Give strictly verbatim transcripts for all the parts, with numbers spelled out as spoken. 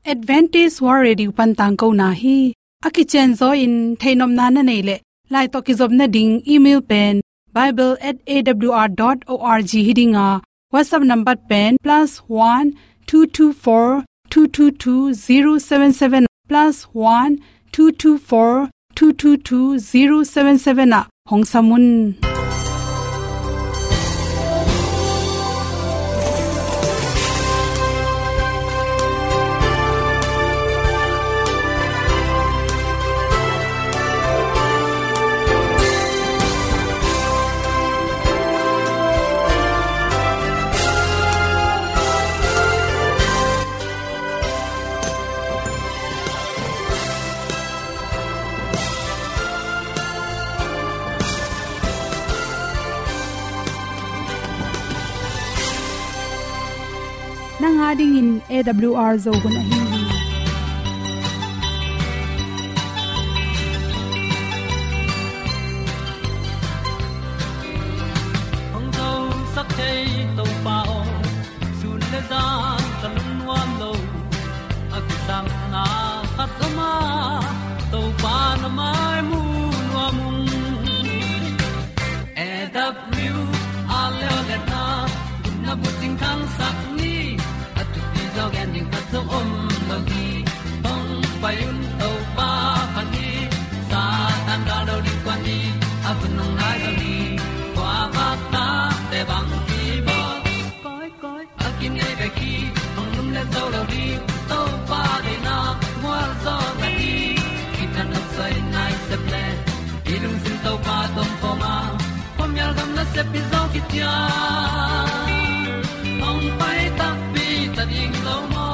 Adventist World Radio pan tangkona hi. A kicianzaw in theihnopna na neih leh, lai tawh kizopna ding email pen bible at A W R dot org hi ding a, WhatsApp number pen plus one two two four two two two zero seven seven, plus one two two four two two two zero seven seven ah hong sam un. Nang a dingin A W R Zo hun ahi hi. Hong zosak thei Topa aw, sun le zan ka lungnuam lo. A kisapna khat om a, Topa na mai mu nuam ung. A W R le aw le na, gupna bucing thangsak ni. A thupi zaw gen ding khat zong om lo hi. Hong pai un Topa phat ni. Satan gal lo ding kuan ni. A hun hong nai zo ni. Kua vak ta te bang ki bawl. Koi, koi, a kinei bek hi, hong lum le zo lo ding, Topa deihna, mual zaw na hi, kithat nop soi nai sep le, i lungsim Topa tawh om khawm a, khuamial gam nasep hi zaw kician, hong pai takpi ta ding lo maw.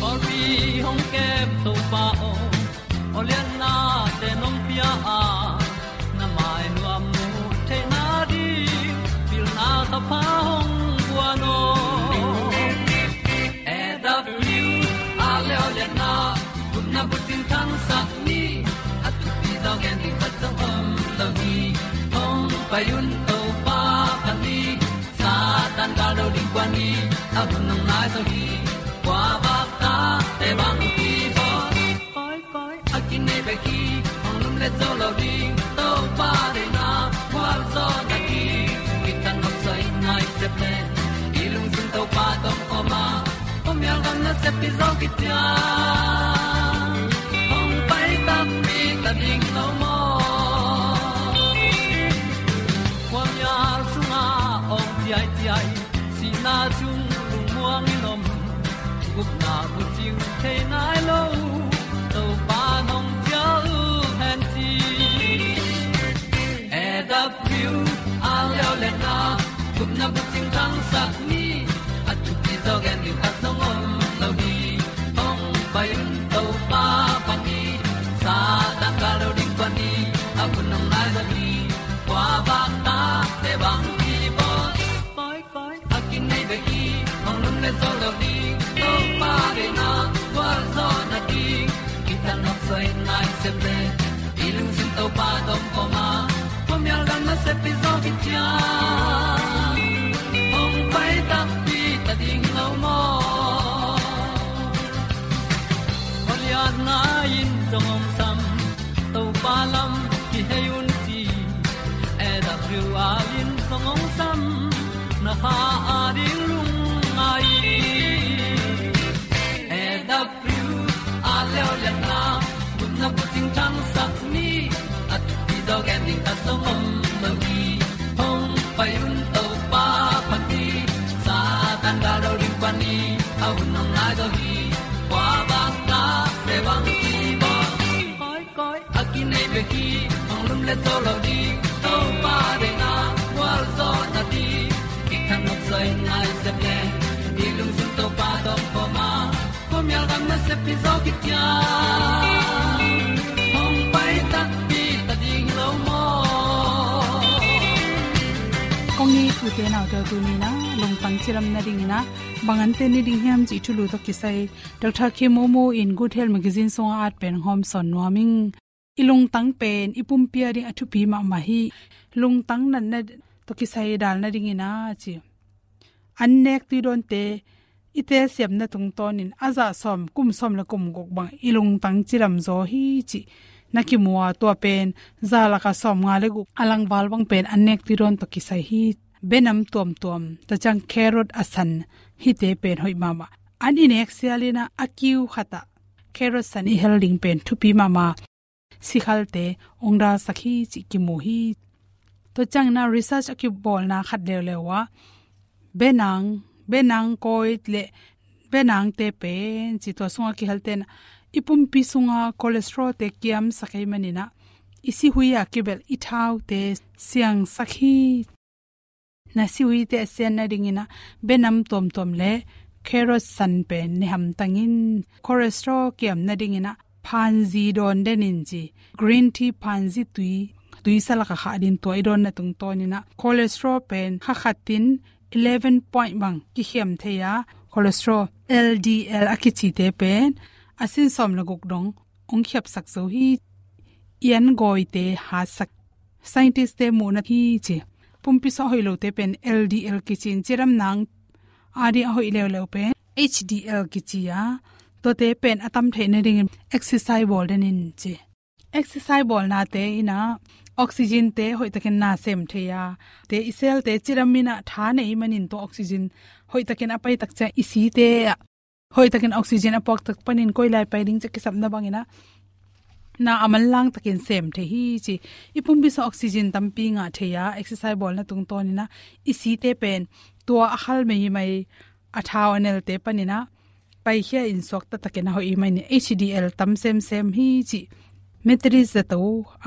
Pawlpi hong kem Topa aw, aw liannate nong pia a, na mai nuam mu theihna ding, pilna thapha hong guan aw. A W R le aw lianna, gupna bucing thangsak ni, a thupi zaw gen ding khat zong om lo hi. Hong pai un Topa phat ni, Satan gal lo ding kuan ni, a hun hong nai zo hi. Kua vak ta te bang ki bawl. Koi, koi, a kinei bek hi, hong lum le zo lo ding, Topa deihna, mual zaw na hi, kithat nop soi nai sep le, i lungsim Topa tawh om khawm a, khuamial gam nasep hi zaw kician, hong pai takpi ta ding lo maw. Khuamial sungah awng ciaiciai, sihna sung lungmuang in om, gupna bucing thei nai lo, Topa nong cial hen ci. A W R le aw lianna, gupna bucing thangsak ni, a thupi zaw gen ding khat zong om lo hi. Hong pai un Topa phat ni, Satan gal lo ding kuan ni, a hun hong nai zo hi. Kua vak ta te bang ki bawl. Koi, koi, a kinei bek hi, hong lum le zo lo ding, Topa deihna, mual zaw na hi, kithat nop soi nai sep le, i lungsim Topa tawh om khawm a, khuamial gam nasep hi zaw kician, hong pai takpi ta ding lo maw. Aw lianna in zong hong sam, Topa lam kihei un ci, A W R in zong hong sam, na kha a ding lungngai. A W R le aw lianna, gupna bucing thangsak ni, a thupi zaw gen ding khat zong om lo hi. Hong pai un Topa phat ni, Satan gal lo ding kuan ni, a hun hong nai zo hi. Kua vak ta te bang ki bawl. Koi, koi, a kinei bek hi, hong lum le zo lo ding, Topa deihna, mual zaw na hi, kithat nop soi nai sep le, i lungsim Topa tawh om khawm a, khuamial gam nasep hi zaw kician, hong pai takpi ta ding lo maw. Kong it ute naute, tuni-in ah lungtang cilam nadingin ah bang an ten ni ding hiam cih thulu tawh kisai Doctor Khe Momo in Good Health Magazine sungah a at pen hong hawmsawn nuam ing. I lungtang pen i pumpi a ding a thupi mahmah hi. Lungtang natna tawh kisai dal nadingin ah ci. An nek tuidawnte i telsiamna tungtawnin a zah sawm, kum sawm le kum guk bang i lungtang cidam zaw hi cih na kimu a, tua pen zah lakah sawmnga le guk a langval bang pen an nek tuidawn tawh kisai hi. Benam tuamtuam, tua ciang carrot a san, hihte pen hoih mahmah. An i nek sialin ah a kiu khatah carrot san i hel ding pen thupi mahmah. Sikhalte hong dalsak hi cih kimu hi. Tua ciangin ah research a kibawlna khat leuleu ah benang, benang kawi le benangte pen ci, tua sungah kihelte in ah i pumpi sungah cholesterol-te kiamsak ahih manin ah i sihui a kibelh i thaute siangsak hi. Na sihuite a sian nadingin ah benam tuamtuam le carrot san pen ne hamtang in. Cholesterol kiam nadingin ah phanzi dawn den in ci. Green tea phanzi tui, tuisa lakah khah ding, tua i dawnna tungtawnin ah cholesterol pen kha khatin eleven point bang kikhiam thei a, cholesterol L D L a kicite pen a sin sawm le guk dong hong khiapsak zo hi. I an gawite hatsak, scientist-te muhna hi ci. Pumpi sungah hoih lote pen L D L kici in, cidamna ading a hoih leuleu pen H D L kici a, tuate pen a tam theih nadingin exercise bawl den in ci. Exercise bawlnate in ah oxygen-te hoihtakin na sem thei a, te i cell-te cidam in ah tha nei manin tua oxygen hoihtakin a pai tak ciang i site ah hoihtakin oxygen a puak tak panin koi lai pai ding ci a kisapna bangin ah na a manlang takin sem thei hi ci. I pumpi sungah oxygen tampi ngah thei a, exercise bawlna tungtawnin ah i site pen tua a khal meimei a thau a nelte panin ah paikhia in suakta takin a hoih ahih manin H D L tam semsem hi ci. Methodist zato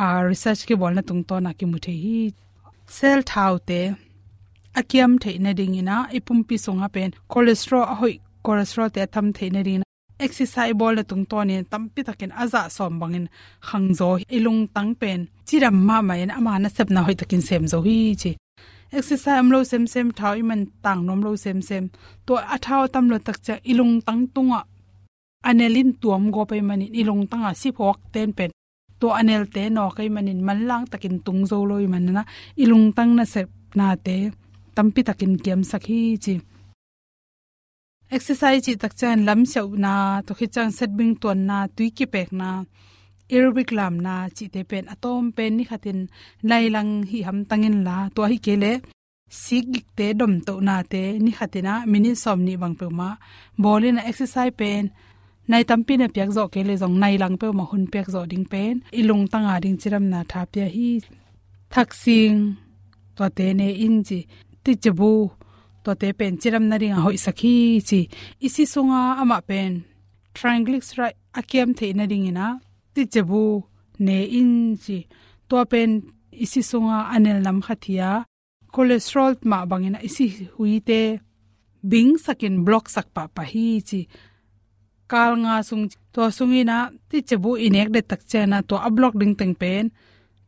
a research kibawlna tungtawn a kimu thei hi. Cell thaute a kiam theih nadingin ah i pumpi sungah pen cholesterol a hoih, cholesterol-te a tam theih nadingin ah exercise bawlna tungtawnin tampi takin a zah sawm bangin khang zaw hi. I lungtang pen cidam mahmah in ama nasepna hoihtakin sem zo hi ci. Exercise om lo semsem, thau i man tang nuam lo semsem, tua a thau a tam lo tak ciang i lungtang tungah a nel in tuam gawp ahih manin i lungtang a siphuakten pen tua a nelte nawk ahih manin manlang takin tung zo lo ahih manin ah i lungtang nasepnate tampi takin kiamsak hi ci. Exercise cih tak ciang lamsiauhna, tua khit ciang setbing tuanna, tui kipekna, aerobic lamna cihte pen a tawm pen ni khatin nai lang hi hamtang inla, tua hi kei leh sikgikte domtohnate ni khatin ah minute sawmnih bang peuhmah bawl in ah exercise pen nai tampi na piak zawh kei leh zong nai lang peuhmah hun piak zawh ding pen i lungtang ading cidamna tha pia hi. Thaksing, tuate ne in ci. Titcebu, tuate pen cidam nading a hoihsak hi ci. I si sungah amah pen triglyceride a kiam theih nadingin ah titcebu ne in ci. Tua pen i si sungah a nel nam khat hi a, cholesterol mah bangin ah i sihuite bingsakin block sak pahpah hi ci. Kal nga sung, tua sungin ah titcebu i nek det tak ciangin ah tua a block ding teng pen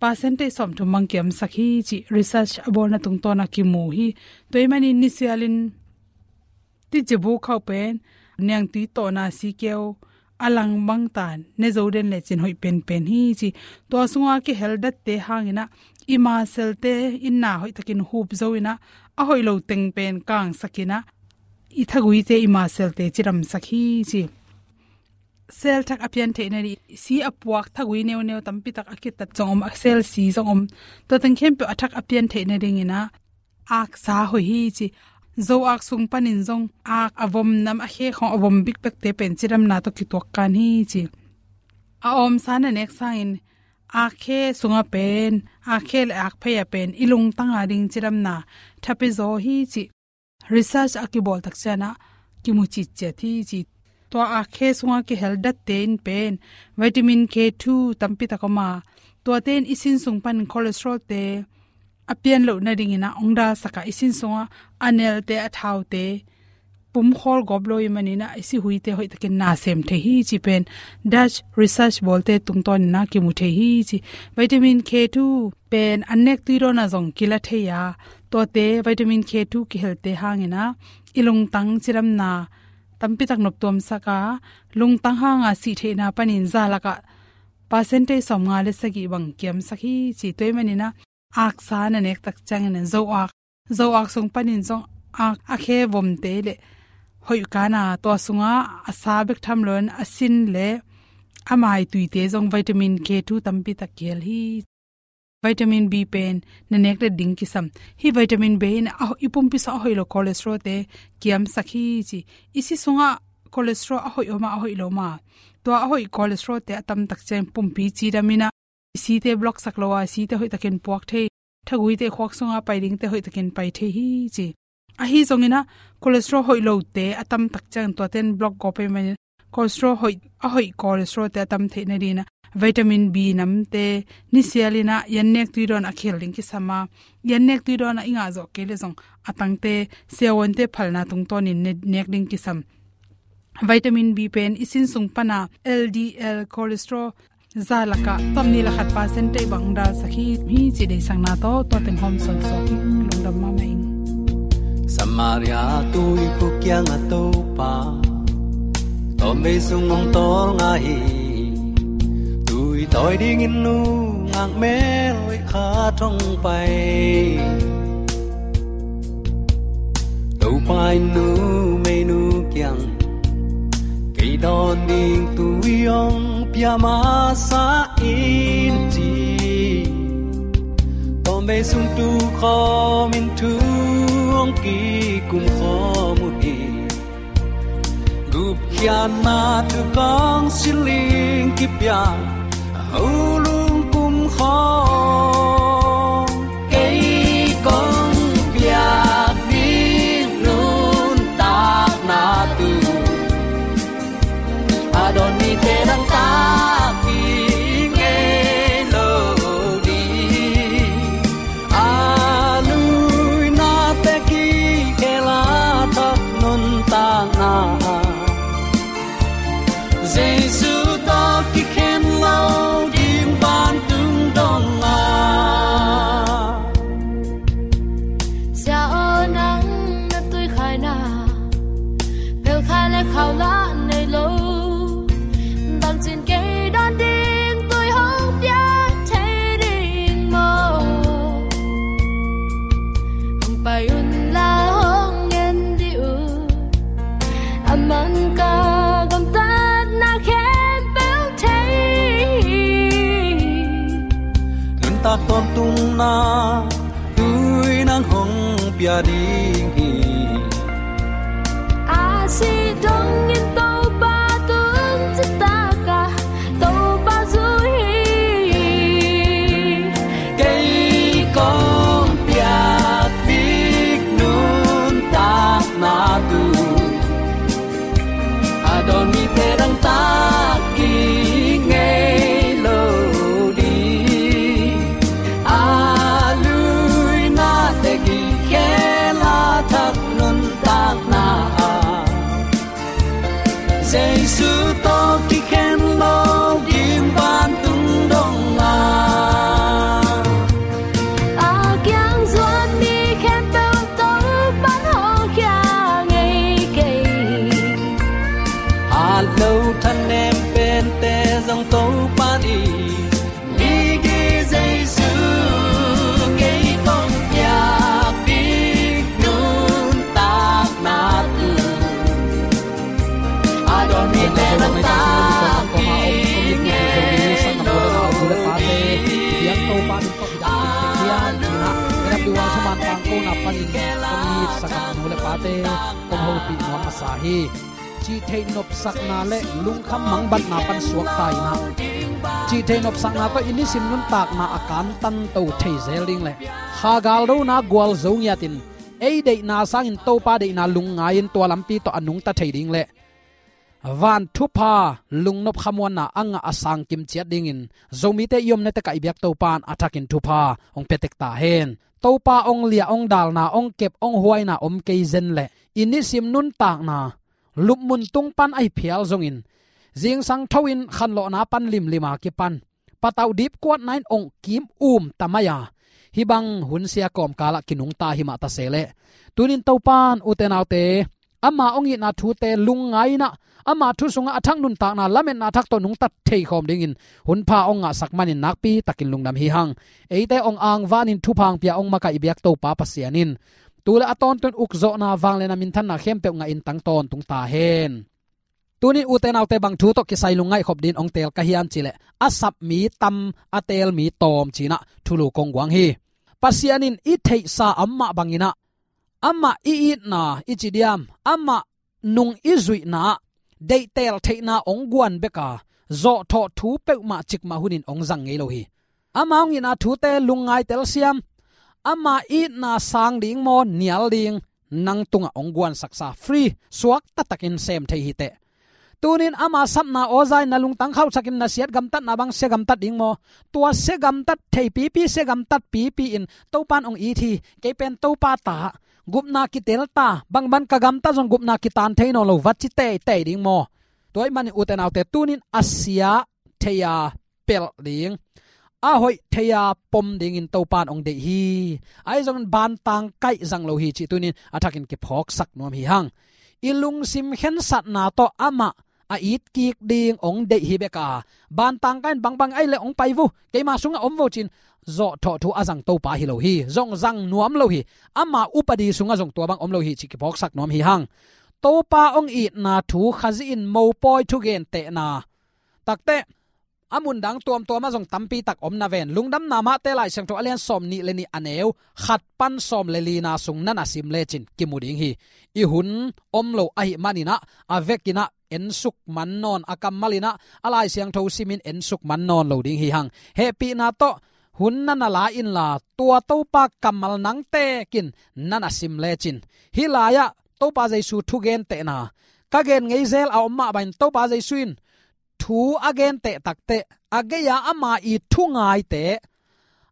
percentage sawmthum bang kiamsak hi ci, research a bawlna tungtawn a kimu hi. Tua ahih manin nisialin titcebu khauh pen niangtui tawhna sikeu a lang bangtan ne zo den lecin hoih penpen hi ci. Tua sungah kihel datte hangin ah i muscle-te in na hoihtakin hup zo in ah a hoih lo teng pen kangsak in ah i thaguite, i muscle-te cidamsak hi ci. Cell thak a pian theih nading, si a puak thagui neuneu tampi tak a kitat zong om, a cell si zong om. Tua teng khempeuh a thak a pian theih nadingin ah aksa hoih hi ci. Zo ak sung panin zong ak a vom nam, a khe khawng a vom bikbekte pen cidamna tawh kituak kan hi ci. A awmsa na nek sangin akkhe sungah pen, akkhe le akphei ah pen i lungtang ading cidamna tha pia zaw hi ci. Research a kibawl tak ciangin ah kimu citciat hi ci. Tua akkhe sungah kihel datte in pen vitamin K two tampi tak om a, tuate in i sin sung pan cholesterol-te a pian loh nadingin ah hong dalsak a, i sin sungah a nelte, a thaute pumkhawl gawp lo ahih manin ah i sihuite hoihtakin na sem thei hi ci pen Dutch research bawlte tungtawnin ah kimu thei hi ci. Vitamin K two pen an nek tui dawn ah zong kila thei a, tuate vitamin K two kihelte hangin ah i lungtang cidamna tampi tak noptuamsak a, lungtang hanga sih theihna panin zah lakah percentage sawmnga le sagih bang kiamsak hi ci. Tua ahih manin ah aksa na nek tak ciangin ah zo ak, zo ak sung panin zong ak, a khe vomte le hoih kana, tua sungah a sa bek tham loin a sin le a mai tuite zong vitamin K two tampi tak kihel hi. Vitamin B pen na nek le ding kisam. Hih vitamin B in a, i pumpi sungah a hoih lo cholesterol te kiamsak hi ci. I si sungah cholesterol a hoih om a, a hoih lo om a, tua a hoih cholesterol te a tamtak ciang pumpi cidam in a, i site block sak lo a, i site hoihtakin puak thei, thaguite khuak sungah pai dingte hoihtakin pai thei hi ci. Ahi zongin a, cholesterol hoih lote a tamtak ciang tuaten block gawp ahih manin cholesterol hoih, a hoih cholesterol te a tam theih nadingin a, vitamin B namte nisial in a, i annek tui dawn a khel ding kisam a, i annek tui dawn a i ngah zawh kei leh zong a tangte siavuante phalna tungtawnin ne-, nek ding kisam. Vitamin B pen i sin sung pan a L D L cholesterol za lakah tawmnih le khat percent teih bang dalsak hi, hi ci deihsakna tawh tua teng hawm sawnsak hi. Lungdam mahmah ing. Samaria tuikhuk kiangah Topa tawmvei sung hong tawlnga hi. Tui tawi dingin nungak mel hoih khat hong pai. Topa in numeinu kiang, kei dawn ding tui hong pia masa in ci. Tawmvei sung tu khawmin thu hong kikum khawm uh hi. Gupkhiatna thu kong siling kipia, a ho lungkum khawm. Kei kong piak ding nuntakna tu a dawn mite dang tak i ngei lo ding. A luina te kikhel a thak nuntakna, Jesu tawh kikhen lo ding vantung dong a. Sia aw, nang na tuikhaina, phelkhai le khau lah nei lo. Bangcin kei dawn ding tui hong pia thei ding maw? Hong pai un la, hong en dih un. A man ka gamtatna khempeuh thei. Nuntak tawntungna tui nang hong pia ding hi. A sih dongin Topa tung citak a, Topa zui hi. Kei kong piak ding nuntakna tu a dawn mite dang tak i ngei lo ding. A luina te kikhel a thak nuntakna, Jesu tawh kikhen lo ding vantung dong a. A kiang zuan mi khempeuh Topa'n hong khia ngei kei. Hat lo thanem pente zong Topa'n i migi Jesu. Kei kong piak ding nuntakna tu a dawn mite dang tak i ngei lo ding. Kong hopih nuam masa hi. Cihtheih nopsakna le lungkham mangbatna pan suakta in ah, cihtheih nopsakna tawh i nisim nuntakna a kantanto thei zel ding le kha galdona gualzo ngiatin ei deihna sangin Topa deihna lungngai-in tua lampi tawh a nungta thei ding le van thupha, lungnop khamuanna a ngah a sangkim ciat dingin Zomite i omna tekah i biak Topa in a thakin thupha hong pia tek ta hen. Topa hong liah, hong dalna, hong kep, hong huaina om kei zen leh i nisim nuntakna lupmun tung pan ahi phial zongin, zingsang tho-in khanlawhna pan limlim a kipan patauh dipkuatna in ong kim um ta mai a, hih bang hunsia kawmkalah kinungta hi mah ta se leh, tunin Topan ute naute, ama hong itna thute lungngai-in ah, ama thu sungah a thak nuntakna lametna thak tawh nungta theikhawm dingin hunpha hong ngahsak manin nakpi takin lungdam hi hang. Eite hong angvanin thupha hong pia hong makaih i biak Topa Pasian in Tu le a tawntung ukzawhna, vangliatna, minthanna khempeuh ngahin tang tawntung ta hen. Tunin ute naute, bang thu tawh kisai lungngaih khop dingin hong teel ka hiam cih leh, a sap mi tam, a teel mi tawm ci-in ah thulu kong guang hi. Pasian in i theihsa amah bangin ah, amah i itna i ci diam, amah nung i zuihna ah deih teel theihna hong guan bek a, zawhthawh thu peuhmah cikmah hunin hong zang ngei lo hi. Ama hong itna thute lungngai telsiam, ama itna sang ding maw, nial ding, nang tungah hong guansaksa, free, suak taktakin sem thei hi teh. Tunin ama sapna aw za-in na lungtang khauhsakin na siat gamtatna bang sia gamtat ding maw? Tua sia gamtat thei pipi, sia gamtat pipi in Topa in hong it hi. Kei pen Topa ta, gupna kitel ta, bangbang ka gamtat zong gupna kitan thei nawn lo, va ci teitei ding maw? Tua ahih manin ute naute, tunin a sia thei-a pelh ding, a hoih thei-a pom dingin Topa in hong deih hi. Ahi zongin bantang kaih zang lo hi cih tunin a thakin kiphawksak nuam hi hang. I lungsim khensatna tawh amah a it kik ding hong deih hi bek a, bantang kaih in bangbang ahih leh hong pai vo, keima sungah om vo ci-in zawhthawh thu a zang Topa hi lo hi. Zong zang nuam lo hi. Ama upadi sungah zong tua bang om lo hi cih kiphawksak nuam hi hang. Topa hong itna thu Khazih in mopawi thugentehna takteh a mundang tuamtuamah zong tampi tak om na ven. Lungdamna Mate Lai Siangtho a lian sawm nih le nih, a neu khat pan sawm le lina sung na na sim lecin kimu ding hi. I hun om lo ahih manin ah, a vekin ah ensuk man nawn, a kammal in ah a Lai Siangtho simin ensuk man nawn lo ding hi hang. Hehpihna tawh hun na na la inla, tua Topa kammal nang tekin na na sim lecin, hih lai-ah Topa Jesu thugentehna ka gen ngei zel a om mah bangin, Topa Jesu in thu a genteh takteh, a gei-a ama i thu ngaite,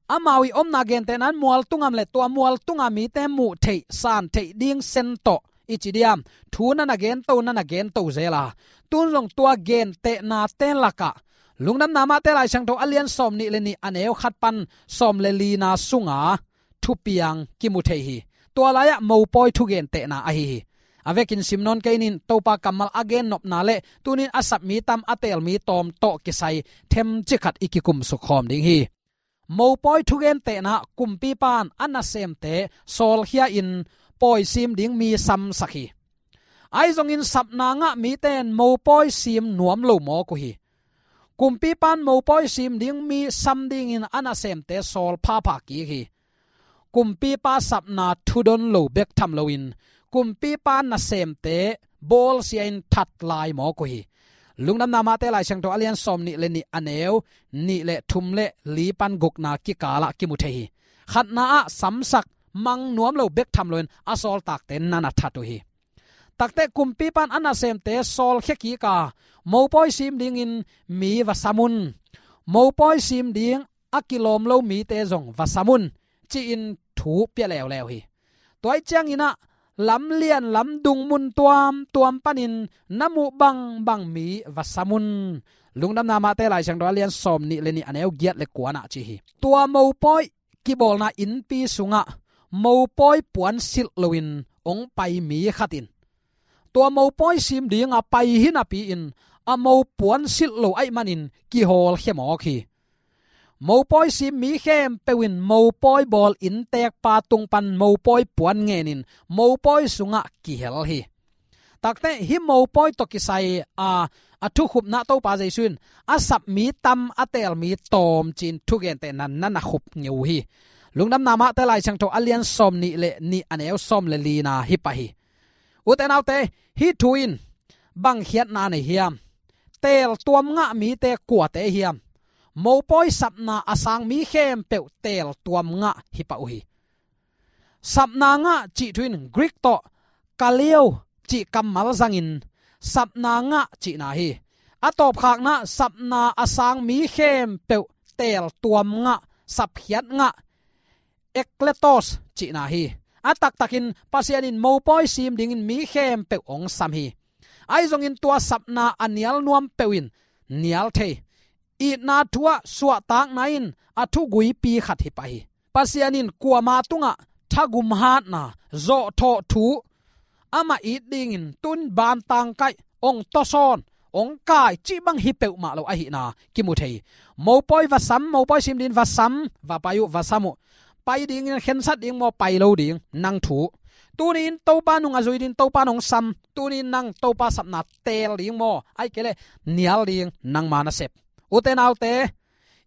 amau i omna gentehna in mual tungah om leh, tua mual tunga mite muh theih, san theih ding sen tawh i ci diam, thu na na gento, na na gento zel a, tun zong tua gentehnate lakah Lungdamna Mate Lai Siangtho a lian sawm nih le nih, a neu khat pan sawm le lina sunga thupiang kimu thei hi. Tua lai-ah mopawi thugentehna ahi hi. A vekin sim nawn kei ning, Topa kammal a gennopna le tunin a sap mi tam, a teel mi tawm tawh kisai themcik khat i kikumsuk khawm ding hi. Mopawi thugentehna ah kumpipa in a nasemte sawlkhia-in pawisim ding mi samsak hi. Ahi zongin sapna ngah mite in mopawi sim nuam lo mawk uh hi. Kumpipa in mopawi sim ding mi sam dingin a nasemte sawl phapha kik hi. Kumpipa sapna thudon lo bek tham loin, kumpipa nasemte bawlsia-in that lai mawk uh hi. Lungdamna Mate Lai Siangtho a lian sawm nih le nih, a neu nih le thum le li pan gukna kikalah kimu thei hi. Khatna ah samsak mang nuam lo bek tham loin a sawltakte na na that uh hi. Takteh kumpipa in a nasemte sawlkhia kik a, mopawi sim dingin mi va sam un, mopawi sim ding a kilawm lo mite zong va sam un, ci-in thu pia leuleu hi. Tua ahih ciangin ah lamlian lamdung mun tuamtuam panin na muh bangbang mi va sam un. Lungdamna Mate Lai Siangtho a lian sawm nih le nih, a neu giat le kuana ci hi. Tua mopawi kibawlna innpi sungah mopawi puan silh loin hong pai mi khat in tua mopawi sim dinga pai hi napi-in, a mopuan silh lo ahih manin kihawlkhia mawk hi. Mopawi sim mi khempeuh in mopawi bawl inntekpa tung pan mopawi puan ngenin mopawi sungah kihel hi. Takteh hih mopawi tawh kisai a, a thukhupna Topa Jesu in a sap mi tam, a teel mi tawm ci-in thugentehna na na khup ngei uh hi. Lungdamna Mate Lai Siangtho a lian sawm nih le nih, a neu sawm le lina hi pah hi. Ute naute, hih thu in bang khiatna nei hiam? Teel tuam ngah mite kuate hiam? Mopawi sapna a sang mi khempeuh teel tuam ngah hi pah uh hi. Sapna ngah cih thu in Greek tawh kaleo cih kammal zangin sapna ngah cihna hi. A tawpkhakna, sapna a sang mi khempeuh teel tuam ngah, sapkhiat ngah, ekletos cihna hi. A taktakin Pasian in mopawi sim dingin mi khempeuh hong sam hi. Ahi zongin tua sapna a nial nuam peuh in nial thei, itna thu-ah suahtakna in a thuguipi khat hi pah hi. Pasian in kuama tungah thagum hatna, zawhthawh thu, amah it dingin tun bantang kaih, ong tawsawn, ong kai cih bang hi peuhmah lo ahihna kimu thei hi. Mopawi va sam, mopawi sim dingin va sam, va pai uh, va sam uh. Pai dingin khensat ding maw, pai lo ding, nang thu. Tuni in Topa nung a zui ding Topa nong sam. Tuni in nang Topa sapna teel ding maw, ahih kei leh nial ding nangma nasep. Ute naute,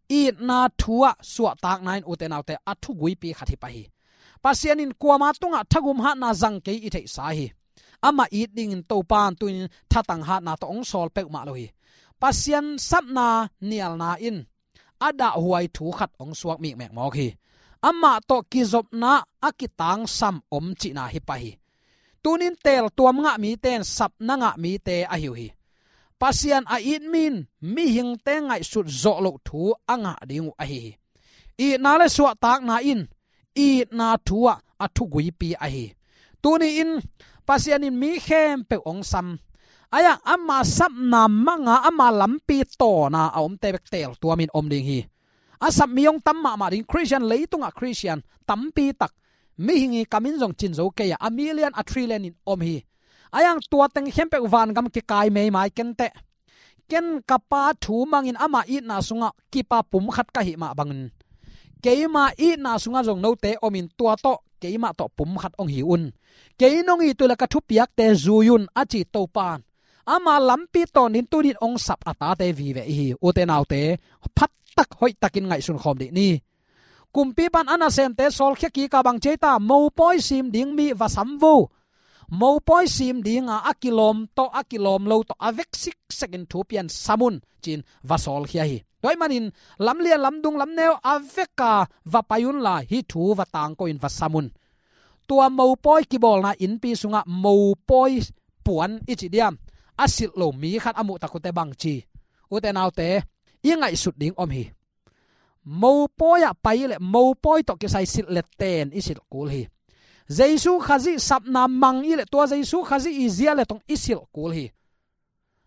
itna thu ah suahtakna in ute naute a thuguipi khat hi pah hi. Pasian in kuama tungah thagum hatna zang kei i theihsa hi. Amah it dingin Topa in tuni in thatang hatna tawh hong sawl peuhmah lo hi. Pasian sapna nialna in a dahhuai thu khat hong suak mikmek mawk hi. Amah tawh kizopna a kitangsam om cihna hi pah hi. Tuni in teeltuam ngah mite in sapna ngah mite ahi uh hi. Pasian a it mi in mihingte ngaihsut zawh loh thu a ngah ding uh ahi hi. Itna le suahtakna in itna thu ah a thuguipi ahi. Tuni in Pasian in mi khempeuh hong sam. Ahi zongin ama sapna manga ama lampi tawna a omte bek teeltuam in om ding hi. A sap mi hong tam mahmah ding, Khristian, leitungah Khristian tampi tak, mihing i kam in zong cin zo kei a, a million a trillion in om hi. Ahi zongin tua teng khempeuh vangam kikai meimai kenteh. Ken ka Pa thu mangin ama itna sungah kipa pum khat ka hih mah bangin, keima itna sungah zong note omin tua tawh keimah tawh pum khat hong hi un. Kei nong it uh leh ka thupiakte zui un a ci Topa in ama lampi tawnin tuni in hong sap a tate vive i hi. Ute naute, phattak hoihtakin ngaihsun khawm dih ni. Kumpipa in a nasemte sawlkhia kik a, bang ci hiam, mopawi sim ding mi va sam un. Mopawi sim dinga a kilawm tawh a kilawm lo tawh a vek siksekin thu pia in sam un ci-in va sawlkhia hi. Tua ahih manin lamlian, lamdung, lamneu a veka va pai unla hih thu va tangko in va sam un. Tua mopawi kibawlna innpi sungah mopawi puan i ci diam, a silh lo mi khat a muh tak uh teh bang ci? Ute naute, i ngaihsut ding om hi. Mopawi ah pai leh mopawi tawh kisai silh leh ten i silh kul hi. Jesu Khazih sapna mang i leh tua Jesu Khazih i zia leh tong i silh kul hi.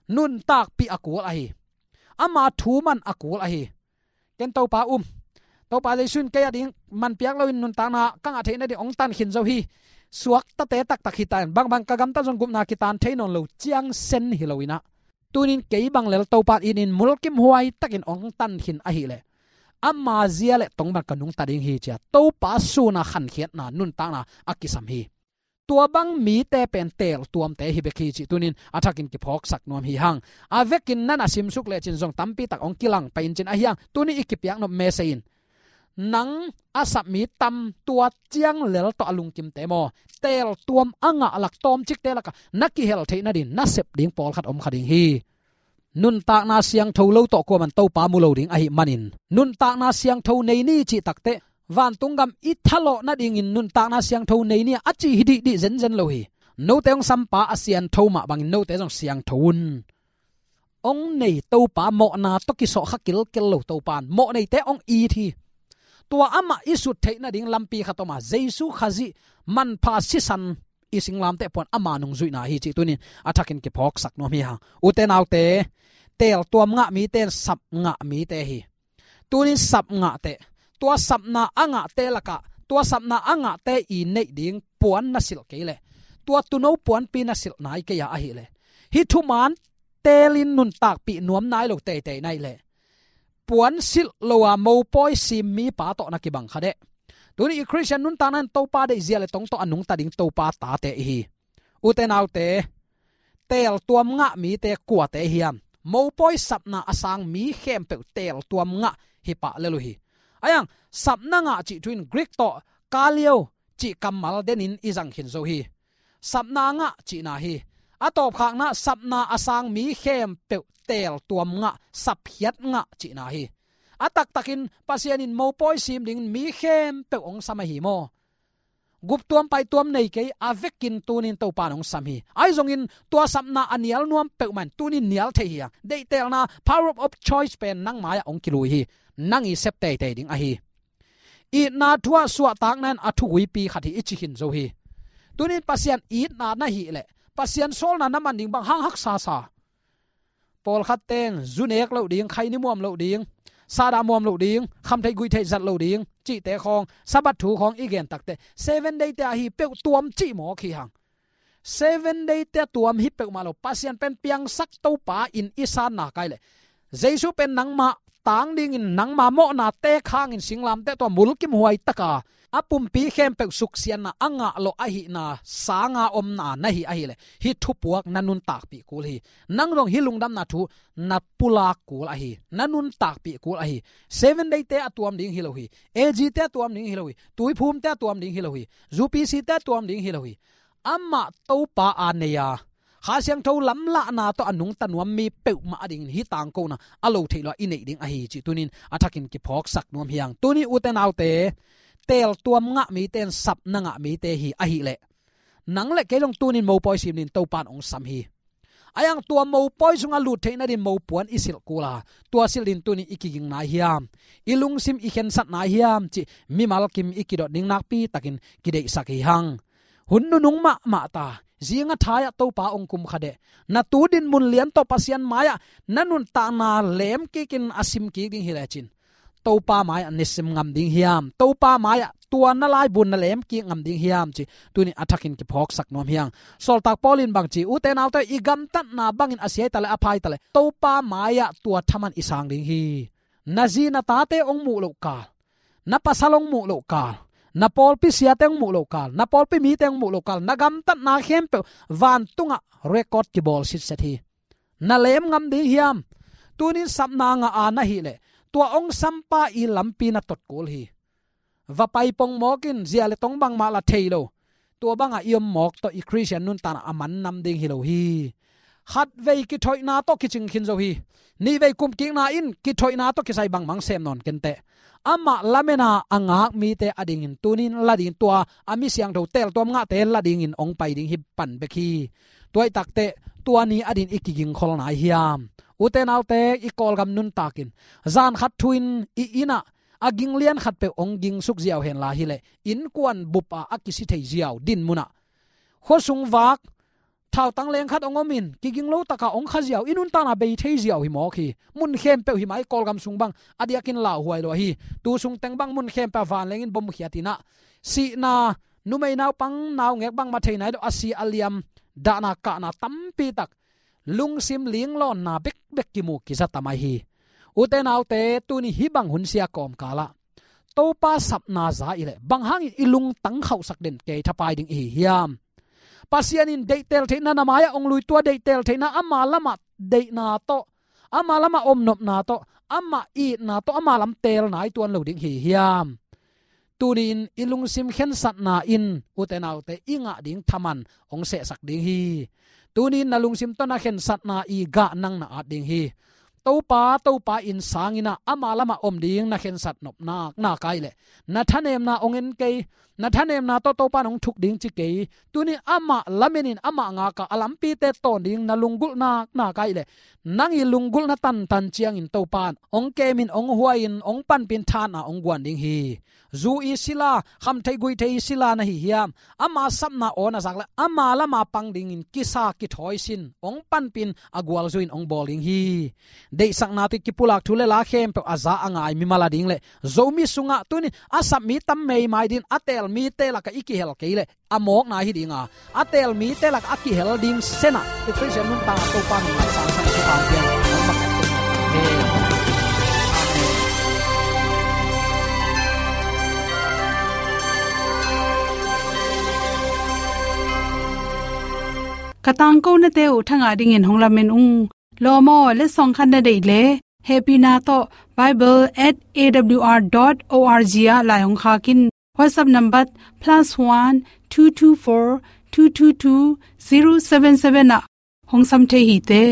Nuntakpih a kul ahi. Ama thu man a kul ahi. Ken Topa um, Topa Jesu in kei a ding man piak loin nuntakna ka ngah theih nading hong tan khin zo hi. Suaktate taktak hi ta in, bangbang ka gamtat zong gupna kitan thei nawn lo ciang sen hi lo in ah, tuni in kei bang lel Topa in it in mulkimhuai takin hong tan khin ahih leh ama zia leh tong bang ka nungta ding hi ci-a Topa suna khankhiatna nuntakna a kisam hi. Tua bang mite pen teeltuamte hi bek hi cih tuni in a thakin kiphawksak nuam hi hang. A vekin na na simsuk lecin zong tampi tak hong kilang pai in cin ahi hang, tuni i kipiak nop message in, nang a sap mi tam, tua ciang lel tawh a lungkimte maw, teeltuam a ngah lak tawmcikte lakah na kihel theih nading nasep ding pawlkhat om kha ding hi. Nuntakna siangtho lo tawh kuaman Topa mu lo ding ahih manin, nuntakna siangtho nei ni cih takteh, vantung gam i thalawh nadingin nuntakna siangtho nei ni a ci hi dihdih zenzen lo hi. Note hong sampa a siangtho mah bangin note zong siangtho un. Hong nei Topa, mawhna tawh kisawhkha kilkel lo Topa in mawh neite hong it hi. Tua amah i sut theih nading lampi khat om a, Jesu Khazih manpha sisan i singlamteh puan ama nungzuihna hi cih tuni in a thakin kiphawksak nuam hi hang. Ute naute, teeltuam ngah mite in sap ngah mite hi. Tuni in sap ngah teh, tua sapna a ngahte lakah tua sapna a ngahte i neih ding puan na silh kei leh, tua tuuno puanpi na silh nai kei a ahih leh, hih thuman teelin nuntakpih nuam nai lo teitei na hih leh, puan silh lo a mopawi sim mipa tawh na kibang kha deh. Tuni i Khristian nuntakna in Topa deih, zia leh tong tawh a nungta ding Topa tate i hi. Ute naute, teeltuam ngah mite kuate hiam? Mopawi sapna a sang mi khempeuh teeltuam ngah hi pah lel uh hi. Ahi hang, sapna ngah cih thu in Greek tawh kaleo cih kammal denin i zang khin zo hi. Sapna ngah cihna hi. A tawpkhakna, sapna a sang mi khempeuh teeltuam ngah, sapkhiat ngah cihna hi. A taktakin Pasian in mopawi sim dingin mi khempeuh hong sam ahi maw? Guptuam paituam nei kei, a vekin tuni in Topa in hong sam hi. Ahi zongin tua sapna a nial nuam peuhmah in tuni in nial thei hi a, deihtelna, power of choice pen nang mai-ah hong kilui hi. Nang i sep teitei ding ahi. Itna thu ah suahtakna in a thuguipi khat hi i ci khin zo hi. Tuni in Pasian itna na hih leh, Pasian sawlna na man ding bang hang haksa sa? Pawlkhat teng zu nek loh ding, khaini muam loh ding, sahdah muam loh ding, khamtheih guihtheih zat loh ding cihte khawng, Sabbath thu khawng i gen takteh, Seven Day te ahi peuh tuam cih mawk hi hang. Seven Day te tuam hi peuhmah lo, Pasian pen piangsak Topa in i sanna kai leh, Jesu pen nangmah tang dingin nangma mawhnate khangin singlamteh tua mulkimhuai taka a pumpi khempeuh suksiatna a ngah lawh ahihna sanga omna na hi ahileh hih thupuak na nuntakpih kul hi. Nang zong hih lungdamna thu na pulak kul ahi, na nuntakpih kul ahi. Seven Day-te a tuam ding hi lo hi. A G-te a tuam ding hi lo hi. Tuiphumte a tuam ding hi lo hi. U P C-te a tuam ding hi lo hi. Amah Topa a nei a, Kha Siangtho lamlahna tawh a nungta nuam mi peuhmah adingin hih tangkona a lo theih lo a i neih ding ahi cih tunin a thakin kiphawksak nuam hi hang. Tuni ute naute, teeltuam ngah mite in sapna ngah mite hi ahileh nang le kei zong tunin mopawi sim dingin Topa in hong sam hi. Ahi hang tua mopawi sungah lut theih nadin mopuan i silh kul a, tua silh dingin tunin i kiging nai hiam, i lungsim i khensat nai hiam cih mimal kim i kidot ding nakpi takin kideihsak hi hang. Hun nunung mahmah ta, zing a thai-ah Topa hong kum kha deh. Na tu dinmun lian tawh Pasian mai-ah na nuntakna lem kikin a sim kik ding hi lecin, Topa mai-ah na sim ngam ding hiam, Topa mai-ah tua na laibun na lem kik ngam ding hiam cih tunin a thakin kiphawksak nuam hi hang. Sawltak Paul in bang ci, ute naute, i gamtatna bangin a sia hi taleh a pha hi taleh Topa mai-ah tua thaman i sang ding hi. Na zi na tate hong muh loh kal, na pasal hong muh loh kal, na pawlpi siate hong muh loh kal, na pawlpi mite hong muh loh kal, na gamtatna khempeuh vantungah record kibawl sitset hi. Na lem ngam ding hiam? Tunin sapna ngah a na hileh tua hong sampa i lampi na tot kul hi. Va pai pongmawk in, zia le tong bangmah la thei lo. Tua bangah i om mawk tawh i Khristian nuntakna a man nam ding hi lo hi. Khatvei kithoihna tawh kicing khin zo hi. Nihvei kumkikna in kithoihna tawh kisai bangmah sem nawn kenteh. Amah lamena a ngak mite adingin tunin la dingin, tua a mi siangtho teeltuam ngahte la dingin hong pai ding hi pan bek hi. Tua ahih takteh tua ni adingin i kigingkhol nai hiam? Ute naute, i Kawlgam nuntakin zan khat thu-in i innah a ging lian khatpeuh hong gingsuk ziau henla hileh innkuan bup-ah a kisi thei ziau dinmunah, khuasung vak thautang leng khat hong omin kiging lo taka hong kha ziau, i nuntakna bei thei ziau hi mawk hi. Mun khempeuh hi mai, Kawlgam sung bang a diakin lauhuai lo ahi. Tu sung teng bang mun khempeuh ah vanleng in bomkhiat inah, sihna, numei naupang naungek bangmah thei nai lo a si a liam, dahna kahna tampi tak, lungsim linglawnna bekbek kimu kiza tam ahi hi. Ute naute, tuni hih bang hun sia kawmkalah Topa sapna za i leh bang hangin i lungtang khauhsak den kei thapai ding i hi hiam? Pasian in deihteel theihna na mai-ah hong lui, tua deihteel theihna ama lamah deihna tawh, ama lamah omnopna tawh, amah itna tawh ama lam teel nai tuan lo ding hi hiam? Tunin i lungsim khensatna in, ute naute, i ngah ding thaman hong sehsak ding hi. Tunin na lungsim tawh na khensatna i gah nang na at ding hi. Topa, Topa in sang inah ama lamah om ding na khensat nopna, na kai leh na thanemna hong en kei. Na thanemna tawh Topa in hong thuk ding ci kei. Tunin amah lamenin amah ngaka a lampite tawn ding na lunggulhna, na kai leh nang i lunggulhna tantan ciangin Topa in hong kemin, hong huain, hong panpin, thahatna hong guan ding hi. Zu i sila, khamtheih guitheih i sila na hi hiam? Ama sapna aw na zak leh ama lama pang dingin kisa kithawisin, hong panpin, a gualzo in hong bawl ding hi. Deihsakna tawh kipulak thu le la khempeuh a za a ngai mimal a ding le Zomi sungah tunin a sap mi tam meimai dingin a teel mite lakah i kihel kei leh a mawkna hi ding a, a teel mite lakah a kihel ding senah i Khristian nuntakna Topa min a sangsan i pau pian. Ka tangkonate uh thangah dingin hong lamen ung. Lawm aw, letsong khat na deih leh, hehpihna tawh bible at A W R dot O R G ah lai hong khak in. WhatsApp number plus one two two four two two two zero seven seven ah hong sam thei hi te.